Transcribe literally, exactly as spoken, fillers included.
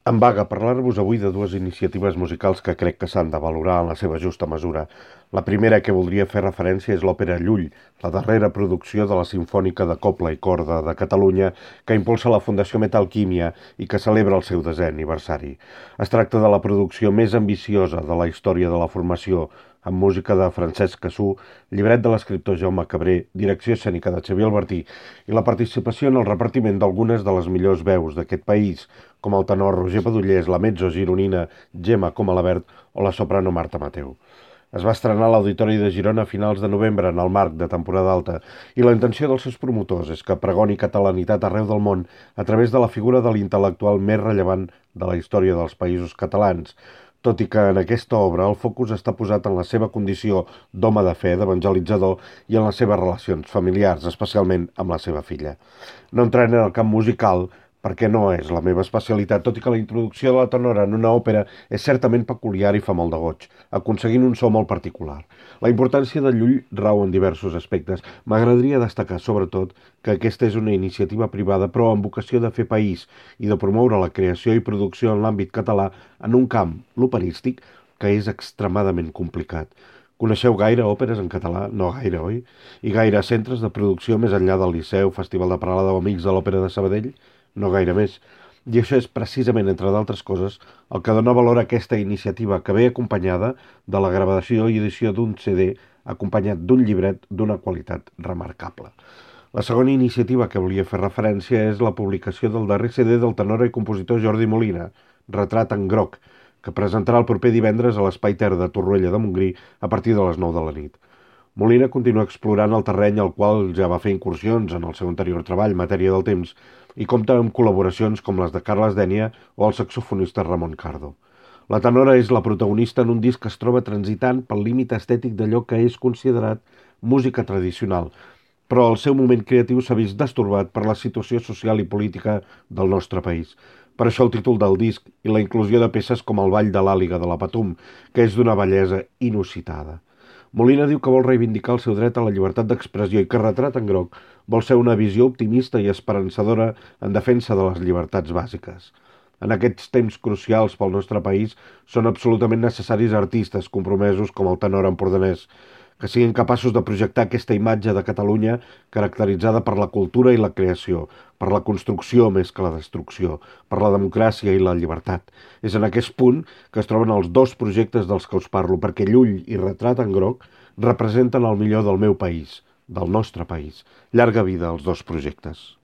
Em vaga parlar-vos avui de dues iniciatives musicals que crec que s'han de valorar en la seva justa mesura. La primera que voldria fer referència és l'òpera Llull, la darrera producció de la Simfònica de Cobla i Corda de Catalunya que impulsa la Fundació Metalquímia i que celebra el seu desè aniversari. Es tracta de la producció més ambiciosa de la història de la formació, amb música de Francesc Cassú, llibret de l'escriptor Jaume Cabré, direcció escènica de Xavier Albertí i la participació en el repartiment d'algunes de les millors veus d'aquest país, com el tenor Roger Padullés, la mezzo gironina Gemma Comalabert o la soprano Marta Mateu. Es va estrenar a l'Auditori de Girona a finals de novembre en el marc de temporada alta i la intenció dels seus promotors és que pregoni catalanitat arreu del món a través de la figura de l'intel·lectual més rellevant de la història dels països catalans, tot i que en aquesta obra el focus està posat en la seva condició d'home de fe, d'evangelitzador i en les seves relacions familiars, especialment amb la seva filla. No entraré en el camp musical, perquè no és la meva especialitat, tot i que la introducció de la tenora en una òpera és certament peculiar i fa molt de goig, aconseguint un so molt particular. La importància de Llull rau en diversos aspectes. M'agradaria destacar, sobretot, que aquesta és una iniciativa privada però amb vocació de fer país i de promoure la creació i producció en l'àmbit català en un camp, l'operístic, que és extremadament complicat. Coneixeu gaire òperes en català? No gaire, oi? I gaire centres de producció més enllà del Liceu, Festival de Parada o Amics de l'Òpera de Sabadell? No gaire més. I això és precisament, entre d'altres coses, el que dona valor a aquesta iniciativa que ve acompanyada de la gravació i edició d'un C D acompanyat d'un llibret d'una qualitat remarcable. La segona iniciativa que volia fer referència és la publicació del darrer C D del tenor i compositor Jordi Molina, Retrat en groc, que presentarà el proper divendres a l'Espai Ter de Torroella de Montgrí a partir de les nou de la nit. Molina continua explorant el terreny al qual ja va fer incursions en el seu anterior treball, Matèria del temps, i compta amb col·laboracions com les de Carles Dénia o el saxofonista Ramon Cardo. La tenora és la protagonista en un disc que es troba transitant pel límit estètic d'allò que és considerat música tradicional, però el seu moment creatiu s'ha vist destorbat per la situació social i política del nostre país. Per això el títol del disc i la inclusió de peces com el Ball de l'Àliga de la Patum, que és d'una bellesa inusitada. Molina diu que vol reivindicar el seu dret a la llibertat d'expressió i que Retrat en groc vol ser una visió optimista i esperançadora en defensa de les llibertats bàsiques. En aquests temps crucials pel nostre país són absolutament necessaris artistes compromesos com el tenor empordanès, que siguin capaços de projectar aquesta imatge de Catalunya caracteritzada per la cultura i la creació, per la construcció més que la destrucció, per la democràcia i la llibertat. És en aquest punt que es troben els dos projectes dels que us parlo, perquè Llull i Retrat en groc representen el millor del meu país, del nostre país. Llarga vida als dos projectes.